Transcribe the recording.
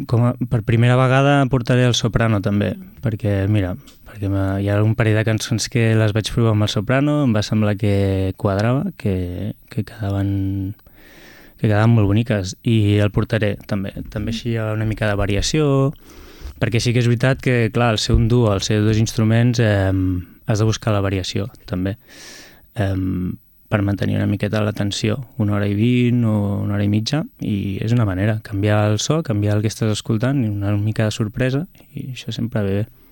per primera vegada portaré el soprano també, perquè mira, hi ha un parell de cançons que les vaig provar amb el soprano, em va semblar que quadrava, que quedaven molt boniques, i el portaré també així hi ha una mica de variació, perquè sí que és veritat que, clar, al ser un duo, al ser dos instruments, has de buscar la variació, també, per mantenir una miqueta la tensió, 1h20 o 1h30, i és una manera, canviar el so, canviar el que estàs escoltant, i una mica de sorpresa, i això sempre ve bé.